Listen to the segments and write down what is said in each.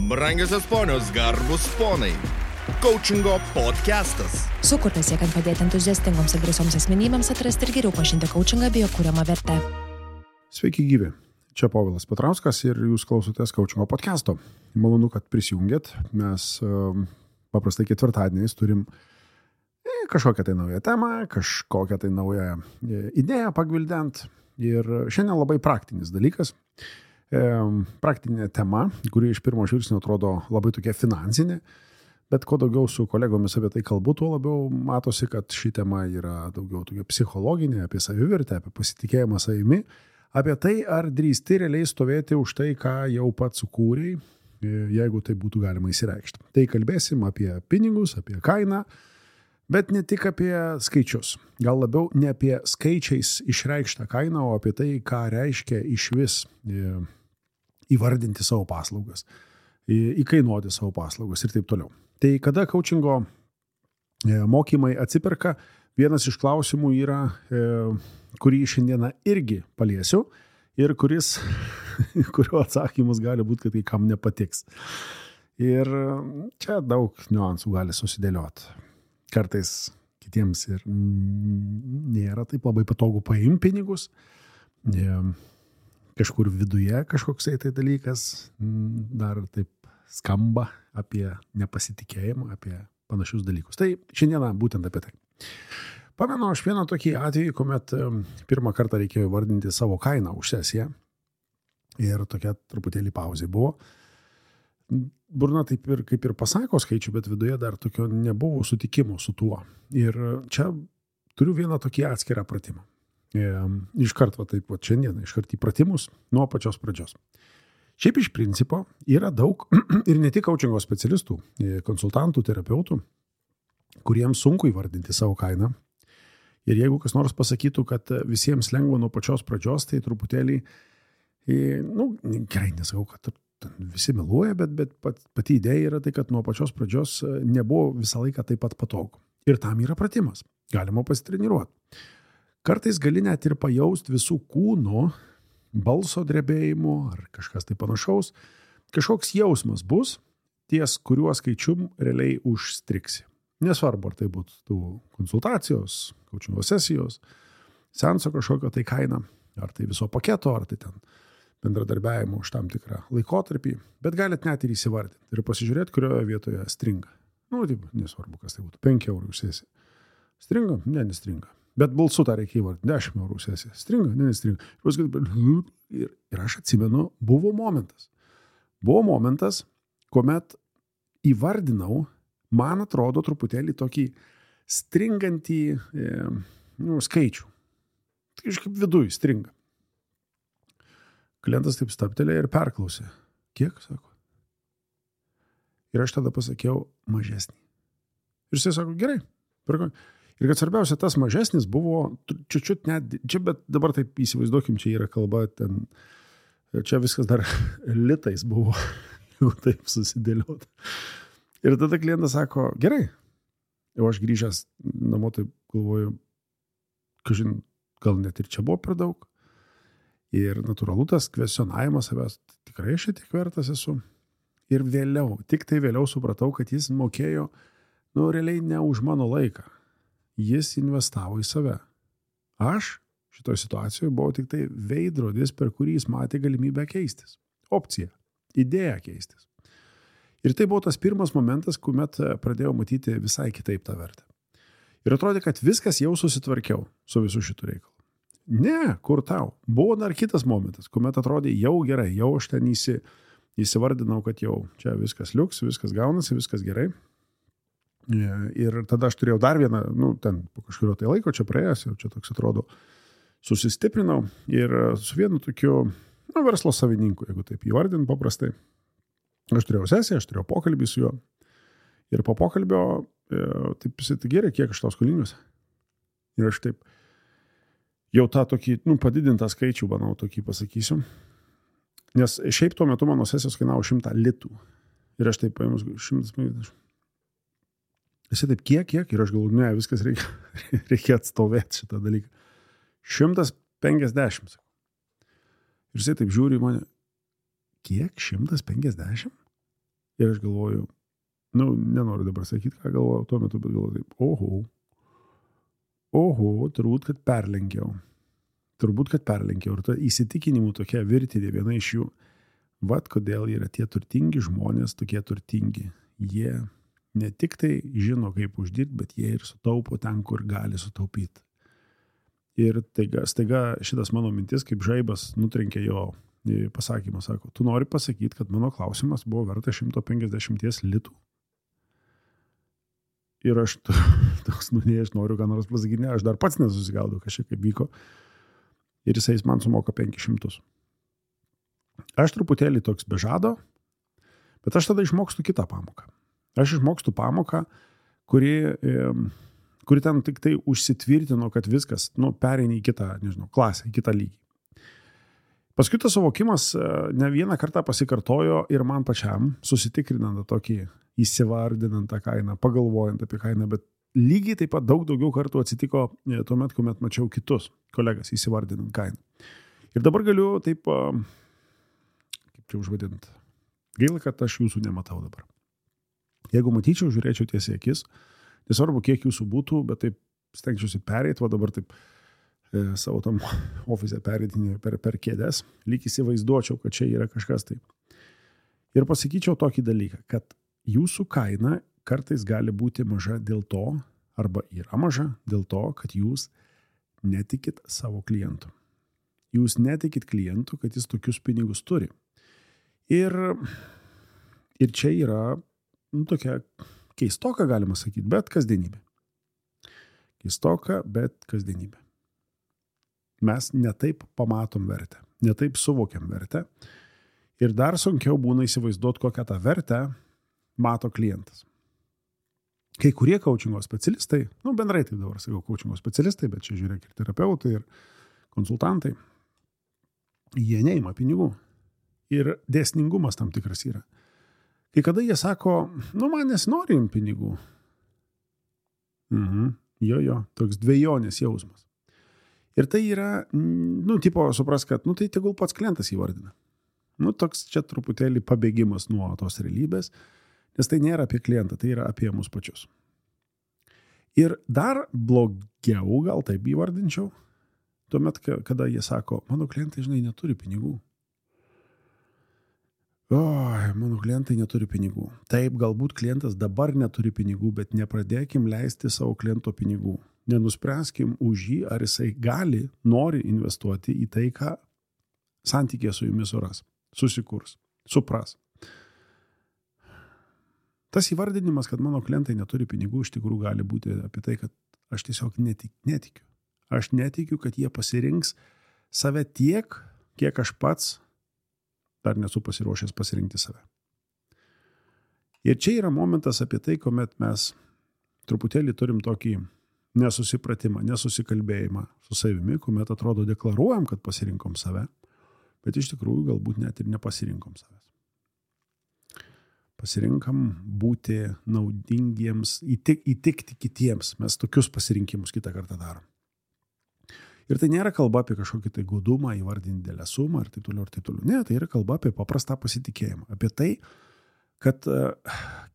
Brangiosios ponios, garbus ponai. Coachingo podcastas. Sukurtas siekiant padėti entuziastingoms ir drąsioms asmenybėms atrasti ir geriau pažinti coachingą bei jo kuriamą vertę. Sveiki gyvi. Čia Povilas Petrauskas ir jūs klausotės Coachingo podcasto. Malonu, kad prisijungėt. Mes paprastai ketvirtadieniais turim kažkokią tai naują temą, kažkokią tai naują idėją pagvildent. Ir šiandien labai praktinis dalykas. Praktinė tema, kuri iš pirmo žvilgsnio atrodo labai tokia finansinė, bet kuo daugiau su kolegomis apie tai kalbu, tuo labiau matosi, kad ši tema yra daugiau tokia psichologinė, apie savivertę, apie pasitikėjimą savimi, apie tai, ar drįsti realiai stovėti už tai, ką jau pats sukūrei, jeigu tai būtų galima įsireikšti. Tai kalbėsim apie pinigus, apie kainą, bet ne tik apie skaičius. Gal labiau ne apie skaičiais išreikštą kainą, o apie tai, ką reiškia išvis įvardinti savo paslaugas, įkainuoti savo paslaugas ir taip toliau. Tai kada coachingo mokymai atsiperka, vienas iš klausimų yra, kurį šiandieną irgi paliesiu ir kurio atsakymus gali būti, kad kai kam nepatiks. Ir čia daug niuansų gali susidėlioti. Kartais kitiems ir nėra taip labai patogu paimti pinigus. Kažkur viduje kažkoksai tai dalykas dar taip skamba apie nepasitikėjimą, apie panašius dalykus. Tai šiandieną būtent apie tai. Pamenu aš vieną tokį atvejį, kuomet pirmą kartą reikėjo vardinti savo kainą už sesiją ir tokia truputėlį pauzė buvo. Burna taip ir kaip ir pasako skaičių, bet viduje dar tokio nebuvo sutikimo su tuo. Ir čia turiu vieną tokį atskirą pratimą. Iš karto taip pat šiandien, iš karto į pratimus nuo pačios pradžios. Šiaip iš principo yra daug ir ne tik coachingo specialistų, konsultantų, terapeutų, kuriems sunku įvardinti savo kainą. Ir jeigu kas nors pasakytų, kad visiems lengva nuo pačios pradžios, tai truputėlį, gerai nesakau, kad visi meluoja, bet pati idėja yra tai, kad nuo pačios pradžios nebuvo visą laiką taip pat patogu. Ir tam yra pratimas. Galima pasitreniruoti. Kartais gali net ir pajausti visų kūno, balso drebėjimo ar kažkas tai panašaus. Kažkoks jausmas bus, ties kuriuo skaičium realiai užstriksi. Nesvarbu, ar tai būtų konsultacijos, coachingo sesijos, seanso kažkokio tai kaina, ar tai viso paketo, ar tai ten bendradarbiavimo už tam tikrą laikotarpį, bet galit net ir įsivardinti ir pasižiūrėti, kurioje vietoje stringa. Nesvarbu, kas tai būtų, 5 eurų už sesiją. Stringa? Ne, nestringa. Bet balsu tą reikia įvardinti, 10 eurų sesiją. Stringa? Ne, nestringa. Ir aš atsimenu, buvo momentas. Buvo momentas, kuomet įvardinau, man atrodo, truputėlį tokį stringantį skaičių. Tai kažkaip viduj stringa. Klientas taip stabtelėjo ir perklausė. Kiek, sako? Ir aš tada pasakiau mažesnį. Ir jisai sako, gerai. Ir kad svarbiausia, tas mažesnis buvo čiut net, čia, bet dabar taip įsivaizduokim, čia yra kalba, čia viskas dar litais buvo, jeigu taip susidėlioti. Ir tada klientas sako, gerai. Jau aš grįžęs namo, taip galvoju, kažin, gal net ir čia buvo per daug. Ir natūralu tas kvesionavimas savęs, tikrai aš tiek vertas esu. Ir vėliau, tik tai vėliau supratau, kad jis mokėjo, realiai ne už mano laiką. Jis investavo į save. Aš šitoje situacijoje buvau tik tai veidrodis, per kurį jis matė galimybę keistis. Opcija, idėja keistis. Ir tai buvo tas pirmas momentas, kuomet pradėjau matyti visai kitaip tą vertę. Ir atrodė, kad viskas jau susitvarkiau su visu šitų reikalu. Ne, kur tau? Buvo dar kitas momentas, kuomet atrodė jau gerai, jau aš ten įsivardinau, kad jau čia viskas liuks, viskas gaunasi, viskas gerai. Ir tada aš turėjau dar vieną, ten po kažkurio tai laiko čia praėjęs, jau čia toks atrodo, susistiprinau ir su vienu tokiu, verslo savininku, jeigu taip įvardint paprastai. Aš turėjau sesiją, aš turėjau pokalbį su juo ir po pokalbio, taip jisai, tai gerai, kiek aš tau skolingas. Ir aš taip, jau tą tokį, padidintą skaičių, manau, tokį pasakysiu. Nes šiaip tuo metu mano sesijos kainavo 100 litų. Ir aš taip paėmus 150. Jisai taip, kiek? Ir aš galvoju, ne, viskas reikia atstovėti šitą dalyką. 150. Ir jisai taip žiūri į mane, kiek? 150? Ir aš galvoju, nenoriu dabar sakyti, ką galvoju tuo metu, bet galvoju taip, turbūt, kad perlenkiau. Ir ta įsitikinimų tokia virtinė, viena iš jų, kodėl yra tie turtingi žmonės tokie turtingi. Jie ne tik tai žino, kaip uždirbti, bet jie ir sutaupo ten, kur gali sutaupyti. Ir staiga šitas mano mintis, kaip žaibas, nutrenkė jo pasakymą, sako, tu nori pasakyti, kad mano klausimas buvo verta 150 litų. Ir aš toks, aš noriu ką nors pasakyti, ne, aš dar pats nesusigaudau, kažkaip kaip vyko. Ir jis man sumoka 500. Aš truputėlį toks bežado, bet aš tada išmokstu kitą pamoką. Aš išmokstu pamoką, kuri ten tik tai užsitvirtino, kad viskas, pereini į kitą, klasę, į kitą lygį. Paskui tas suvokimas ne vieną kartą pasikartojo ir man pačiam, susitikrinant tokį, įsivardinant tą kainą, pagalvojant apie kainą, bet lygiai taip pat daug daugiau kartų atsitiko tuomet, kuomet mačiau kitus kolegas įsivardinant kainą. Ir dabar galiu taip, kaip čia užvadinti, gaila, kad aš jūsų nematau dabar. Jeigu matyčiau, žiūrėčiau tiesiai akis, nesvarbu, kiek jūsų būtų, bet taip stengčiausi pereiti, dabar taip savo tam ofise pereitinį per kėdes, lyg įsivaizduočiau, kad čia yra kažkas taip. Ir pasakyčiau tokį dalyką, kad jūsų kaina kartais gali būti maža dėl to, arba yra maža dėl to, kad jūs netikit savo klientu. Jūs netikit klientu, kad jis tokius pinigus turi. Ir čia yra tokia keistoka, galima sakyti, bet kasdienybė. Keistoka, bet kasdienybė. Mes netaip pamatom vertę, netaip suvokiam vertę. Ir dar sunkiau būna įsivaizduoti, kokią tą vertę mato klientas. Kai kurie coachingo specialistai, bendrai tai dabar sakau coachingo specialistai, bet čia žiūrėk ir terapeutai, ir konsultantai, jie neima pinigų. Ir dėsningumas tam tikras yra. Kai kada jie sako, man nesinori imti pinigų. Toks dvejonės jausmas. Ir tai yra, tipo, supras, kad, tai tegul pats klientas įvardina. Toks čia truputėlį pabėgimas nuo tos realybės, nes tai nėra apie klientą, tai yra apie mus pačius. Ir dar blogiau, gal taip įvardinčiau, tuomet, kada jie sako, mano klientai, neturi pinigų. Mano klientai neturi pinigų. Taip, galbūt klientas dabar neturi pinigų, bet nepradėkim leisti savo kliento pinigų. Nenuspręskim už jį, ar jisai nori investuoti į tai, ką santykė su jumis suras, susikurs, supras. Tas įvardinimas, kad mano klientai neturi pinigų, iš tikrųjų gali būti apie tai, kad aš tiesiog netikiu. Aš netikiu, kad jie pasirinks save tiek, kiek aš pats dar nesu pasiruošęs pasirinkti save. Ir čia yra momentas apie tai, kuomet mes truputėlį turim tokį nesusipratimą, nesusikalbėjimą su savimi, kuomet atrodo deklaruojam, kad pasirinkom save, bet iš tikrųjų galbūt net ir nepasirinkom savęs. Pasirinkam būti naudingiems, įtikti kitiems. Mes tokius pasirinkimus kitą kartą darom. Ir tai nėra kalba apie kažkokį tai godumą, įvardinti didelę sumą ir taip toliau ir taip toliau. Ne, tai yra kalba apie paprastą pasitikėjimą. Apie tai, kad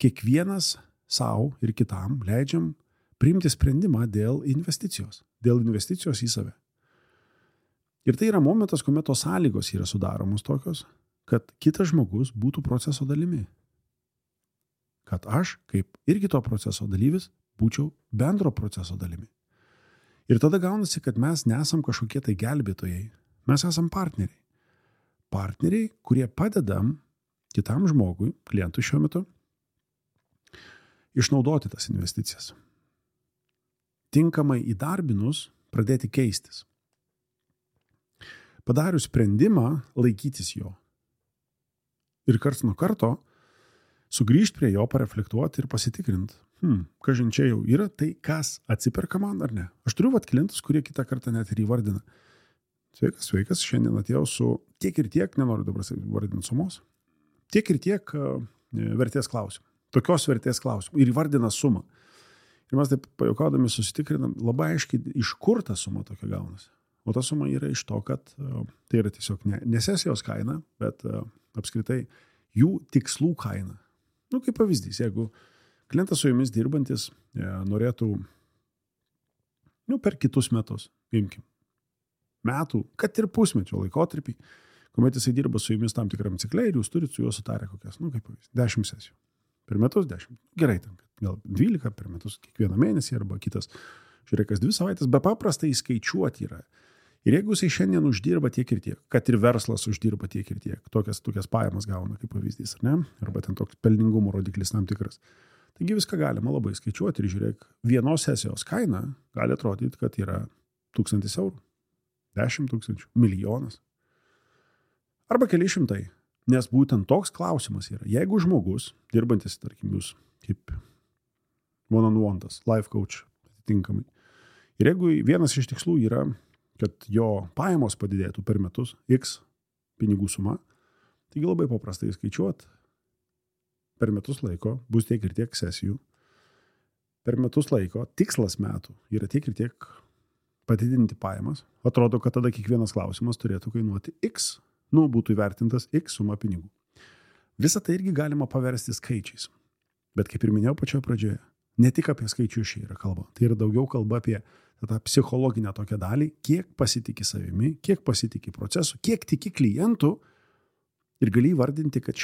kiekvienas savo ir kitam leidžiam priimti sprendimą dėl investicijos į save. Ir tai yra momentas, kuomet tos sąlygos yra sudaromos tokios, kad kitas žmogus būtų proceso dalimi. Kad aš, kaip irgi to proceso dalyvis, būčiau bendro proceso dalimi. Ir tada gaunasi, kad mes nesam kažkokie tai gelbėtojai, mes esam partneriai. Partneriai, kurie padedam kitam žmogui, klientui šiuo metu, išnaudoti tas investicijas. Tinkamai įdarbinus, pradėti keistis. Padarius sprendimą, laikytis jo. Ir karts nuo karto sugrįžti prie jo, pareflektuoti ir pasitikrinti. Kažin čia jau yra tai, kas atsiperka man ar ne. Aš turiu klientus, kurie kitą kartą net ir įvardina. Sveikas, šiandien atėjau su tiek ir tiek, nenoriu dabar vardinti sumos, tiek ir tiek vertės klausimų. Tokios vertės klausimų. Ir įvardina sumą. Ir mes taip pajuokaudami susitikrinam labai aiškiai, iš kur ta suma tokia gaunasi. O ta suma yra iš to, kad tai yra tiesiog ne sesijos kaina, bet apskritai jų tikslų kaina. Kaip pavyzdys, jeigu klientas su jumis dirbantis norėtų per kitus metus, imkim, metų, kad ir pusmečio laikotarpį, kuomet jisai dirba su jumis tam tikram cikle ir jūs turite su juo sutarę kokias, kaip pavyzdys, 10 sesijų. Per metus 10. Gerai, gal 12 per metus kiekvieną mėnesį arba kitas, žiūrėk, kas 2 savaitės, be paprastai įskaičiuoti yra. Ir jeigu jisai šiandien uždirba tiek ir tiek, kad ir verslas uždirba tiek ir tiek, tokias pajamas gauna kaip pavyzdys, ar ne? Arba ten toks pelningumo rodiklis tam tikras. Taigi viską galima labai skaičiuoti ir žiūrėk, vienos sesijos kaina gali atrodyti, kad yra 1000 eurų, 10 000, milijonas. Arba keli šimtai. Nes būtent toks klausimas yra. Jeigu žmogus, dirbantis, tarkim, jūs kaip one-on-one-tas, life coach atitinkamai. Ir jeigu vienas iš tikslų yra, kad jo pajamos padidėtų per metus X pinigų suma, taigi labai paprastai skaičiuot, per metus laiko bus tiek ir tiek sesijų. Per metus laiko tikslas metų yra tiek ir tiek padidinti pajamas. Atrodo, kad tada kiekvienas klausimas turėtų kainuoti X. Būtų įvertintas X suma pinigų. Visą tai irgi galima paversti skaičiais. Bet kaip ir minėjau pačioje pradžioje, ne tik apie skaičius čia yra kalba. Tai yra daugiau kalba apie tą psichologinę tokią dalį, kiek pasitiki savimi, kiek pasitiki procesu, kiek tiki klientų ir gali įvardinti, kad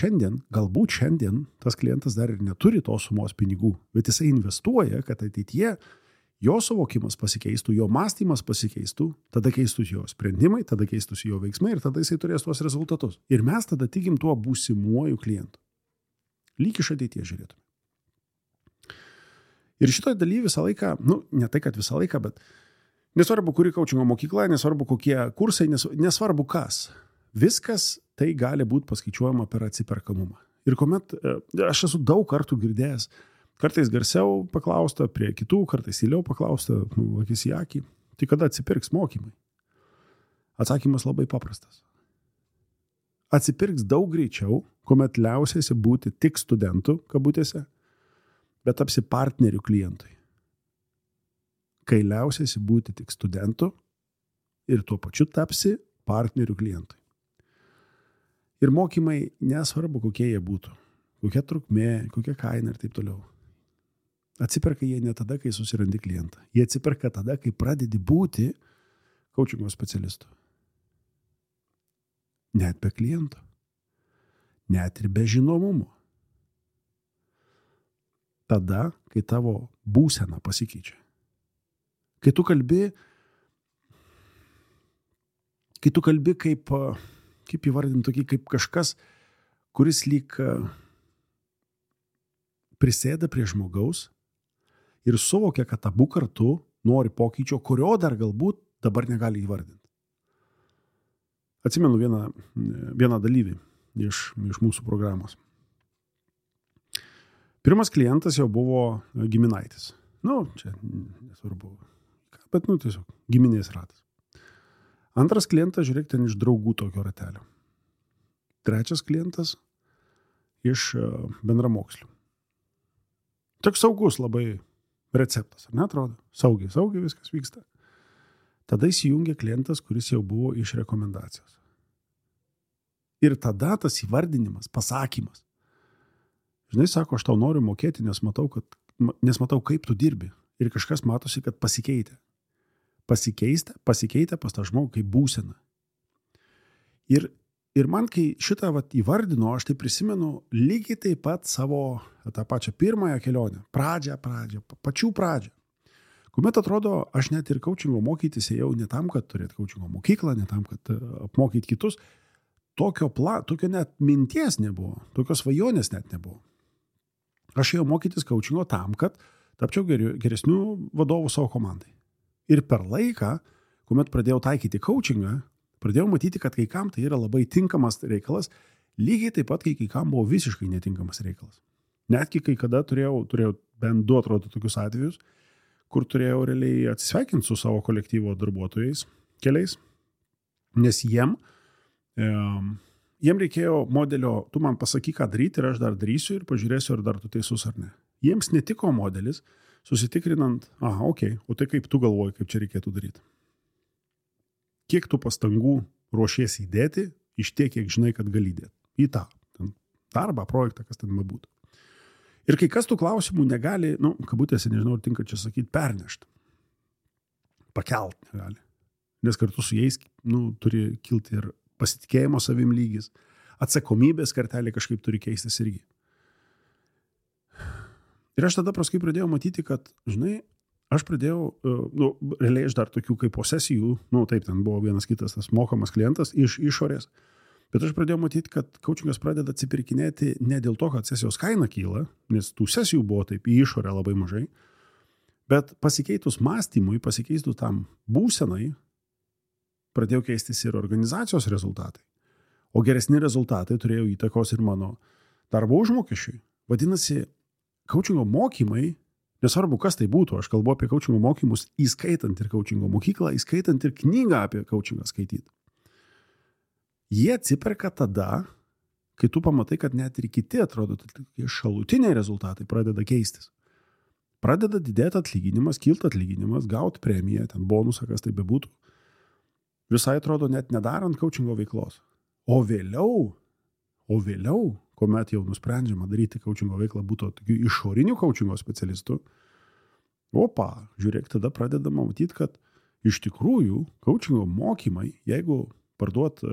galbūt šiandien tas klientas dar ir neturi tos sumos pinigų, bet jisai investuoja, kad ateityje jo suvokimas pasikeistų, jo mąstymas pasikeistų, tada keistųsi jo sprendimai, tada keistųsi jo veiksmai ir tada jisai turės tuos rezultatus. Ir mes tada tikim tuo būsimuoju klientu. Lyg iš ateities žiūrėtume. Ir šitoje dalyje visą laiką, ne tai, kad visą laiką, bet nesvarbu, kuri coachingo mokykla, nesvarbu, kokie kursai, nesvarbu kas. Viskas tai gali būti paskaičiuojama per atsiperkamumą. Ir kuomet aš esu daug kartų girdėjęs, kartais garsiau paklausta, prie kitų, kartais tyliau paklausta, akis į akį. Tai kada atsipirks mokymai? Atsakymas labai paprastas. Atsipirks daug greičiau, kuomet liausiasi būti tik studentų, kabutėse, bet tapsi partnerių klientui. Kai liausiasi būti tik studentų ir tuo pačiu tapsi partnerių klientui. Ir mokymai nesvarbu, kokie jie būtų. Kokia trukmė, kokia kaina ir taip toliau. Atsiperka jie ne tada, kai susirandi klientą. Jie atsiperka tada, kai pradedi būti coachingo specialistu. Net be kliento. Net ir be žinomumo. Tada, kai tavo būsena pasikeičia. Kai tu kalbi kaip įvardinti tokį, kaip kažkas, kuris lyg prisėda prie žmogaus ir suvokia, kad abu kartu nori pokyčio, kurio dar galbūt dabar negali įvardinti. Atsimenu vieną dalyvį iš mūsų programos. Pirmas klientas jau buvo giminaitis. Čia nesvarbu, bet tiesiog giminės ratas. Antras klientas, žiūrėk, ten iš draugų tokio ratelio. Trečias klientas iš bendramokslių. Toks saugus labai receptas, ar ne atrodo? Saugiai viskas vyksta. Tada įsijungia klientas, kuris jau buvo iš rekomendacijos. Ir tada tas įvardinimas, pasakymas. Žinai, sako, aš tau noriu mokėti, nes matau, kaip tu dirbi. Ir kažkas matosi, kad pasikeitė. Pasikeitė pas tą žmogų kaip būsena. Ir man, kai šitą įvardino, aš tai prisimenu lygiai taip pat savo tą pačią pirmąją kelionę. Pačių pradžią. Kuomet atrodo, aš net ir coachingo mokytis ėjau ne tam, kad turėti coachingo mokyklą, ne tam, kad apmokyti kitus. Tokio net minties nebuvo, tokios svajonės net nebuvo. Aš ėjau mokytis coachingo tam, kad tapčiau geresnių vadovų savo komandai. Ir per laiką, kuomet pradėjau taikyti coachingą, pradėjau matyti, kad kai kam tai yra labai tinkamas reikalas, lygiai taip pat, kai kam buvo visiškai netinkamas reikalas. Netgi kai kada turėjau bent 2 atrodo tokius atvejus, kur turėjau realiai atsisveikinti su savo kolektyvo darbuotojais keliais, nes jiem reikėjo modelio, tu man pasakyk, ką daryti ir aš dar darysiu ir pažiūrėsiu, ar dar tu teisus ar ne. Jiems netiko modelis, susitikrinant, o tai kaip tu galvoji, kaip čia reikėtų daryti. Kiek tu pastangų ruošiesi įdėti iš tiek, kiek žinai, kad gali įdėti. Į tą darbą, projektą, kas ten būtų. Ir kai kas tų klausimų negali, kabutėse, nežinau, ar tinka čia sakyti, pernešti. Pakelt negali. Nes kartu su jais, turi kilti ir pasitikėjimo savim lygis. Atsakomybės kartelė kažkaip turi keistis irgi. Ir aš tada paskui pradėjau matyti, kad, žinai, aš pradėjau, realiai aš dar tokių kaip posesijų, taip, ten buvo vienas kitas tas mokamas klientas iš išorės, bet aš pradėjau matyti, kad coachingas pradeda atsipirkinėti ne dėl to, kad sesijos kaina kyla, nes tų sesijų buvo taip į išorę labai mažai, bet pasikeitus mąstymui, pasikeitus tam būsenai, pradėjo keistis ir organizacijos rezultatai. O geresni rezultatai turėjo įtakos ir mano darbo užmokesčiui. Vadinasi, coachingo mokymai, nesvarbu kas tai būtų, aš kalbu apie coachingo mokymus, įskaitant ir coachingo mokyklą, įskaitant ir knygą apie coachingą skaityti. Jie atsiperka tada, kai tu pamatai, kad net ir kiti, atrodo, šalutiniai rezultatai pradeda keistis. Pradeda didėti atlyginimas, kilti atlyginimas, gauti premiją, ten bonusą, kas tai bebūtų. Visai atrodo net nedarant coachingo veiklos. O vėliau, kuomet jau nusprendžiama daryti coachingo veiklą, būtų tokių išorinių coachingo specialistų, žiūrėk, tada pradedama matyti, kad iš tikrųjų coachingo mokymai, jeigu parduot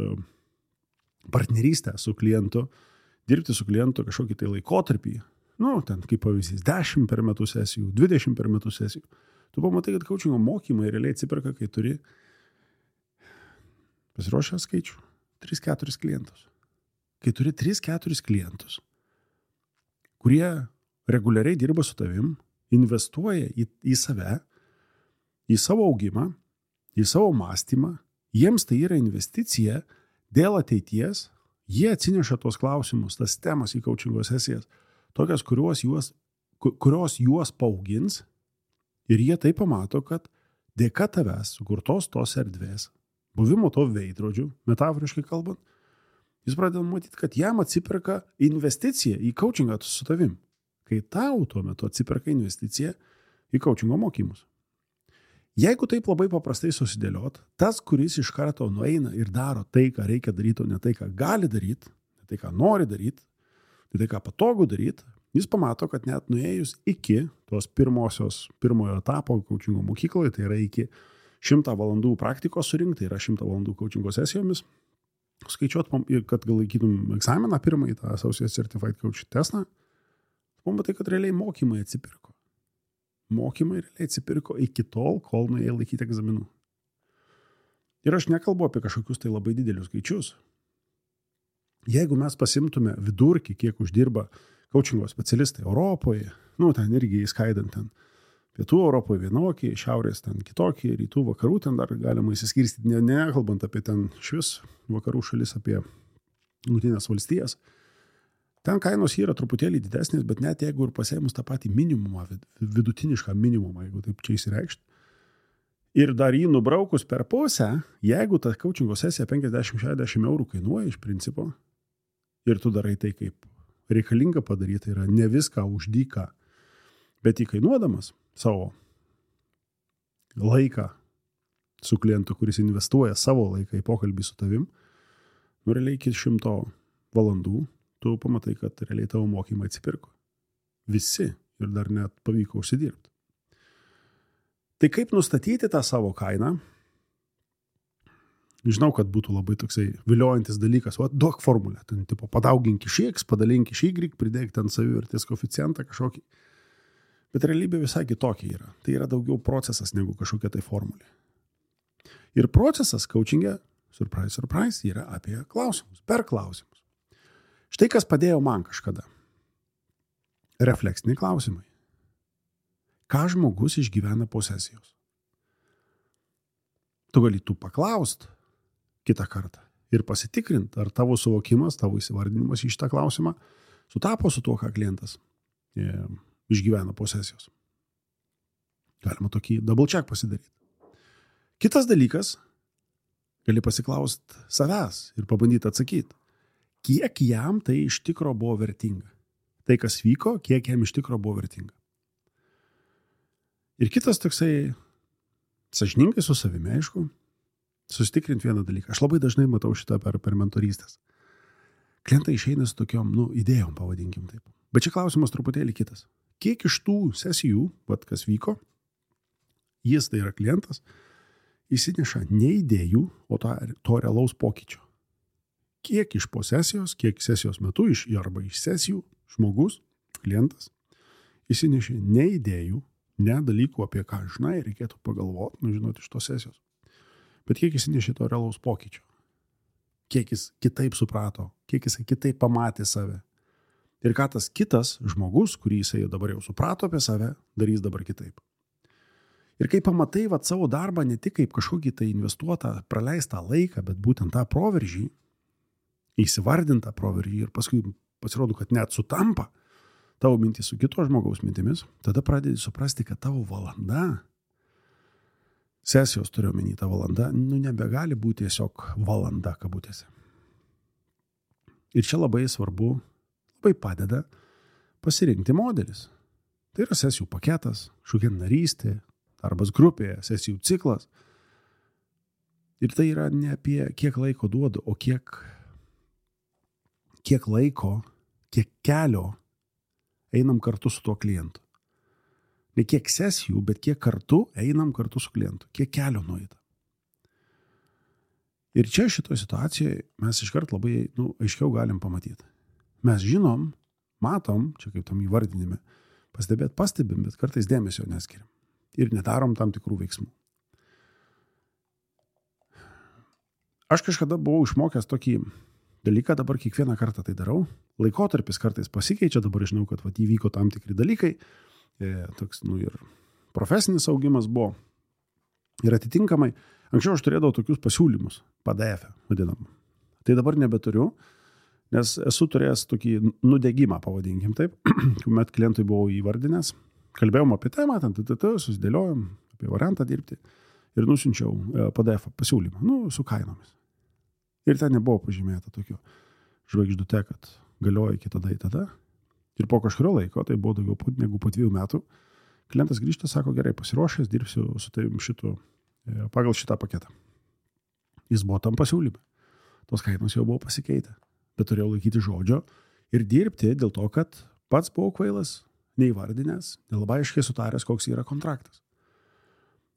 partnerystę su klientu, dirbti su klientu kažkokį tai laikotarpį, ten kaip pavyzdys 10 per metus sesijų, 20 per metus sesijų, tu pamatai, kad coachingo mokymai realiai atsiperka, kai turi pasiruošę skaičių 3-4 klientus. Kai turi 3-4 klientus, kurie reguliariai dirba su tavim, investuoja į save, į savo augimą, į savo mąstymą, jiems tai yra investicija dėl ateities, jie atsineša tuos klausimus, tas temas į coachingo sesijas, tokias, kurios juos paaugins ir jie tai pamato, kad dėka tavęs sukurtos tos erdvės, buvimo to veidrodžių, metaforiškai kalbant, jis pradeda matyti, kad jam atsiperka investicija į coachingą su tavim, kai tau tuo metu atsiperka investicija į coachingo mokymus. Jeigu taip labai paprastai susidėliot, tas, kuris iš karto nueina ir daro tai, ką reikia daryti, o ne tai, ką gali daryti, ne tai, ką nori daryti, ne tai, ką patogu daryti, jis pamato, kad net nuėjus iki tos pirmojo etapo coachingo mokykloje, tai yra iki 100 valandų praktikos surinkti, tai yra 100 valandų coachingo sesijomis, skaičiuot, kad gal laikytum egzaminą pirmąjį, tą Associate Certified Coach testą, pamatai, kad realiai mokymai atsipirko. Mokymai realiai atsipirko iki tol, kol nuėjai laikyti egzaminų. Ir aš nekalbu apie kažkokius tai labai didelius skaičius. Jeigu mes pasimtume vidurkį, kiek uždirba coachingo specialistai Europoje, ten irgi įskaidant ten pietų Europoje vienokį, šiaurės ten kitokį, rytų vakarų ten dar galima įsiskirstyti, nekalbant apie ten švis vakarų šalis, apie Jungtines valstijas. Ten kainos yra truputėlį didesnės, bet net jeigu ir pasėmus tą patį minimumą, vidutinišką minimumą, jeigu taip čia įsireikšti, ir dar jį nubraukus per pusę, jeigu ta coachingo sesija 50-60 eurų kainuoja iš principo, ir tu darai tai, kaip reikalinga padaryti, yra ne viską už dyką, bet įkainuodamas savo laiką su klientu, kuris investuoja savo laiką į pokalbį su tavim, realiai iki 100 valandų, tu pamatai, kad realiai tavo mokymai atsipirko. Visi ir dar net pavyko užsidirbti. Tai kaip nustatyti tą savo kainą? Žinau, kad būtų labai toksai viliojantis dalykas, duok formulę, ten tipo padaugink iš X, padalink iš Y, pridėk ten savivertės koeficientą kažkokį. Bet realybė visai kitokia yra. Tai yra daugiau procesas negu kažkokia tai formulė. Ir procesas coachinge, surprise, surprise, yra apie klausimus, per klausimus. Štai kas padėjo man kažkada. Refleksiniai klausimai. Ką žmogus išgyvena po sesijos? Tu gali paklaust kitą kartą ir pasitikrinti, ar tavo suvokimas, tavo įsivardinimas į šitą klausimą sutapo su tuo, ką klientas išgyvena po sesijos. Galima tokį double check pasidaryti. Kitas dalykas, gali pasiklausti savęs ir pabandyti atsakyti. Kiek jam tai iš tikro buvo vertinga. Tai, kas vyko, kiek jam iš tikro buvo vertinga. Ir kitas toksai, sąžiningai su savimi, aišku, susitikrinti vieną dalyką. Aš labai dažnai matau šitą per mentorystės. Klientai išeina su tokiom, idėjom, pavadinkim taip. Bet čia klausimas truputėlį kitas. Kiek iš tų sesijų, kas vyko, jis, tai yra klientas, įsineša ne idėjų, o to realaus pokyčio. Kiek iš po sesijos, kiek sesijos metu, arba iš sesijų žmogus, klientas, įsinešė ne idėjų, ne dalykų, apie ką žinai, reikėtų pagalvoti, žinoti iš tos sesijos. Bet kiek įsinešė to realaus pokyčio. Kiek jis kitaip suprato, kiek jis kitaip pamatė save. Ir ką tas kitas žmogus, kurį jisai dabar jau suprato apie save, darys dabar kitaip. Ir kai pamatai savo darbą ne tik kaip kažkokį tai investuotą, praleistą laiką, bet būtent tą proveržį, įsivardintą proveržį ir paskui pasirodo, kad net sutampa tavo mintys su kito žmogaus mintimis, tada pradedi suprasti, kad tavo valanda, sesijos turiu omeny, ta valanda, nebegali būti tiesiog valanda kabutėse. Ir čia labai svarbu, labai padeda pasirinkti modelis. Tai yra sesijų paketas, kažkokia narystė, darbas grupėje, sesijų ciklas. Ir tai yra ne apie kiek laiko duodu, o kiek laiko, kiek kelio einam kartu su tuo klientu. Ne kiek sesijų, bet kiek kartu einam kartu su klientu. Kiek kelio nueita. Ir čia šitoje situacijoje mes iškart labai aiškiau galim pamatyti. Mes žinom, matom, čia kaip tam įvardinime, pastebim, bet kartais dėmesio neskiriam. Ir nedarom tam tikrų veiksmų. Aš kažkada buvau išmokęs tokį dalyką, dabar kiekvieną kartą tai darau. Laikotarpis kartais pasikeičia, dabar žinau, kad įvyko tam tikri dalykai. Toks, ir profesinis augimas buvo. Ir atitinkamai, anksčiau aš turėdavau tokius pasiūlymus, PDF vadinam. Tai dabar nebeturiu, nes esu turėjęs tokį nudegimą, pavadinkim taip, kuomet klientui buvau įvardinęs, kalbėjom apie temą, susidėliojom apie variantą dirbti ir nusiunčiau PDF pasiūlymą, su kainomis. Ir ten nebuvo pažymėta tokiu žvaigždute, kad galioja iki tada į tada. Ir po kažkurio laiko, tai buvo daugiau negu po 2 metų, klientas grįžta, sako, gerai, pasiruošęs, dirbsiu su tavim pagal šitą paketą. Jis buvo tam pasiūlyme. Tos kainos jau buvo pasikeitę, bet turėjau laikyti žodžio ir dirbti dėl to, kad pats buvau kvailas, neįvardinęs, nelabai aiškiai sutaręs, koks yra kontraktas.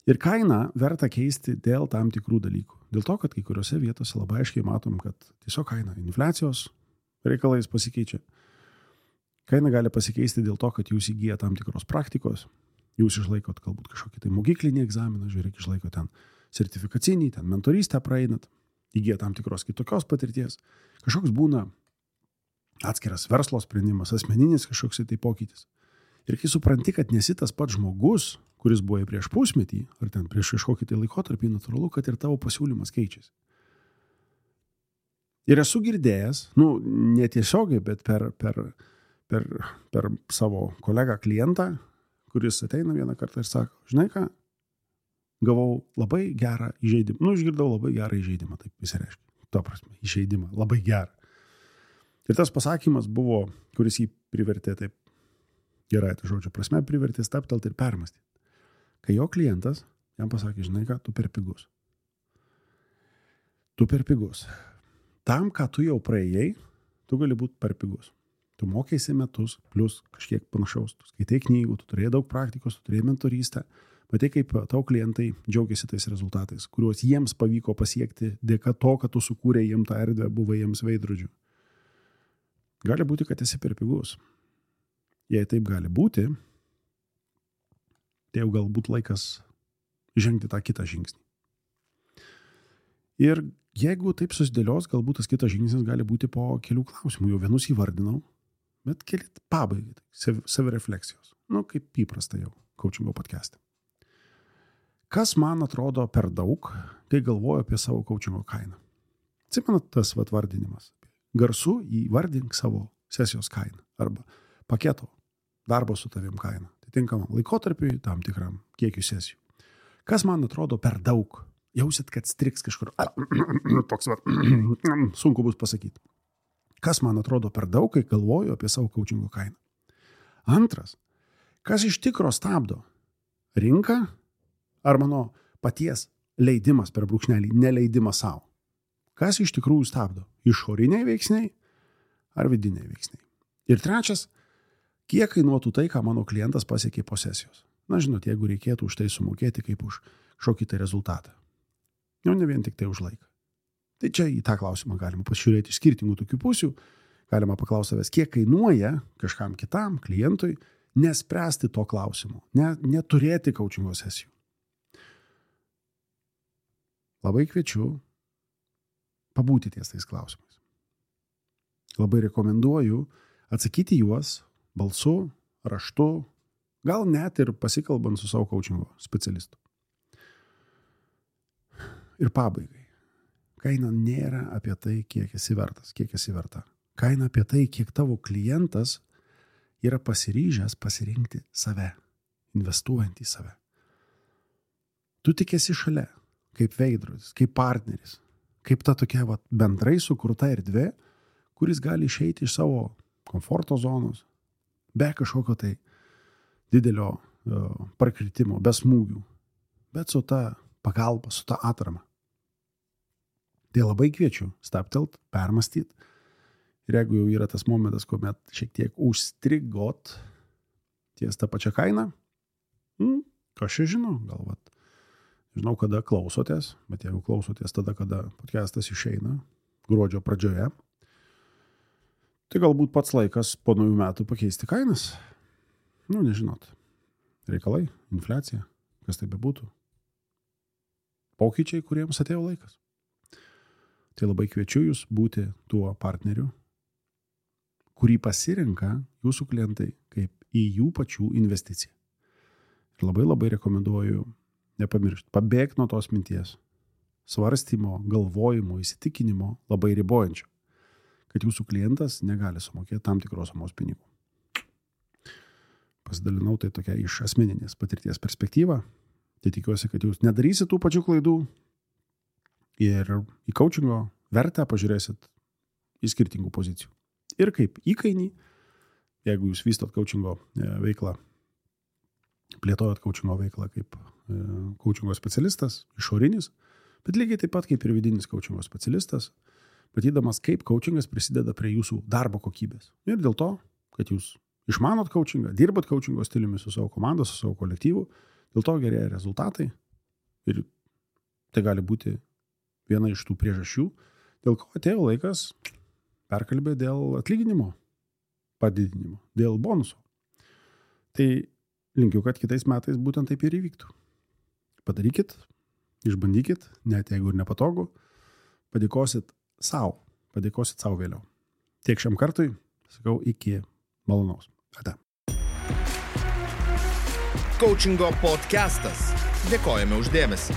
Ir kainą verta keisti dėl tam tikrų dalykų. Dėl to, kad kai kuriuose vietose labai aiškiai matom, kad tiesiog kaina infliacijos reikalais pasikeičia. Kaina gali pasikeisti dėl to, kad jūs įgyja tam tikros praktikos, jūs išlaikot galbūt kažkokį tai mokyklinį egzaminą, žiūrėk, išlaikot ten sertifikacinį, ten mentorystę praeinat, įgyja tam tikros kitokios patirties. Kažkoks būna atskiras verslo sprendimas, asmeninis kažkoks tai pokytis. Ir kai supranti, kad nesi tas pats žmogus, kuris buvo prieš pusmetį, ar ten prieš kažkokį tai laikotarpį, natūralu, kad ir tavo pasiūlymas keičiasi. Ir esu girdėjęs, netiesiogiai, bet per savo kolegą klientą, kuris ateina vieną kartą ir sako, žinai ką, gavau labai gerą įžeidimą. Išgirdau labai gerą įžeidimą, taip visi reiškia. To prasme, įžeidimą, labai gerą. Ir tas pasakymas buvo, kuris jį privertė taip, gerai, tai žodžio prasme, privertė staptelti ir permastyti. Kai jo klientas jam pasakė, žinai ką, tu per pigus. Tu per pigus. Tam, ką tu jau praėjai, tu gali būti per pigus. Tu mokėsi metus, plus kažkiek panašaus. Tu skaitai knygų, tu turėjai daug praktikos, tu turėjai mentorystę. Matai, kaip tau klientai džiaugiasi tais rezultatais, kuriuos jiems pavyko pasiekti dėka to, kad tu sukūrė jiem tą erdvę, buvai jiems veidrodžiu. Gali būti, kad esi per pigus. Jei taip gali būti, tai jau galbūt laikas žengti tą kitą žingsnį. Ir jeigu taip susidėlios, galbūt tas kitas žingsnis gali būti po kelių klausimų. Jau vienus įvardinau, bet keli pabaigai, savirefleksijos. Kaip įprasta jau coachingo podcast'e. Kas man atrodo per daug, kai galvoju apie savo coachingo kainą? Atsimenat tas vardinimas. Garsu įvardink savo sesijos kainą arba paketo darbo su tavim kainą. Atitinkamam laikotarpiui, tam tikram kiekiu sesijų. Kas man atrodo per daug? Jausit, kad striks kažkur. Toks sunku bus pasakyti. Kas man atrodo per daug, kai galvoju apie savo coachingo kainą? Antras, kas iš tikro stabdo? Rinka ar mano paties leidimas per brūkšnelį, neleidimas savo? Kas iš tikrųjų stabdo? Išoriniai veiksniai ar vidiniai veiksniai? Ir trečias, kiek kainuotų tai, ką mano klientas pasiekė po sesijos. Na, žinot, jeigu reikėtų už tai sumokėti kaip už kažkokį tai rezultatą. Jau ne vien tik tai už laiką. Tai čia į tą klausimą galima pasižiūrėti iš skirtingų tokių pusių. Galima paklausti savęs, kiek kainuoja kažkam kitam, klientui, nespręsti to klausimo, neturėti coachingo sesijų. Labai kviečiu pabūti ties tais klausimais. Labai rekomenduoju atsakyti juos balsu, raštu, gal net ir pasikalbant su savo coachingo specialistu. Ir pabaigai. Kaina nėra apie tai, kiek esi vertas, kiek esi verta. Kaina apie tai, kiek tavo klientas yra pasiryžęs pasirinkti save, investuojant į save. Tu tik esi šalia, kaip veidrodis, kaip partneris, kaip ta tokia bendrai sukurta erdvė, kuris gali išeiti iš savo komforto zonos, be kažkokio tai didelio prakritimo, be smūgių, bet su ta pagalba, su ta atrama. Tai labai kviečiu stabtelt, permastyti. Ir jeigu jau yra tas momentas, kuomet šiek tiek užstrigot ties tą pačią kainą, kas čia žinau, gal žinau, kada klausotės, bet jeigu klausotės tada, kada podcastas išeina, gruodžio pradžioje, tai galbūt pats laikas po naujų metų pakeisti kainas. Nežinot. Reikalai, infliacija, kas tai bebūtų. Pokyčiai, kuriems atėjo laikas. Tai labai kviečiu jūs būti tuo partneriu, kurį pasirenka jūsų klientai kaip į jų pačių investiciją. Ir labai rekomenduoju nepamiršti, pabėgti nuo tos minties, svarstymo, galvojimo, įsitikinimo labai ribojančio, kad jūsų klientas negali sumokėti tam tikros sumos pinigų. Pasidalinau tai tokia iš asmeninės patirties perspektyva. Tai tikiuosi, kad jūs nedarysit tų pačių klaidų ir į coachingo vertę pažiūrėsit į skirtingų pozicijų. Ir kaip įkainį, jeigu jūs vystot coachingo veiklą, plėtojat coachingo veiklą kaip coachingo specialistas, išorinis, bet lygiai taip pat kaip ir vidinis coachingo specialistas, matydamas, kaip coachingas prisideda prie jūsų darbo kokybės. Ir dėl to, kad jūs išmanot coachingą, dirbat coachingo stiliumi su savo komanda, su savo kolektyvu, dėl to gerėja rezultatai ir tai gali būti viena iš tų priežasčių, dėl ko atėjo laikas perkalbėti dėl atlyginimo padidinimo, dėl bonuso. Tai linkiu, kad kitais metais būtent taip ir įvyktų. Padarykit, išbandykit, net jeigu ir nepatogu, padėkosit savo vėliau. Tiek šiam kartui, sakau, iki malonaus. Ate. Coachingo podcastas. Dėkojame už dėmesį.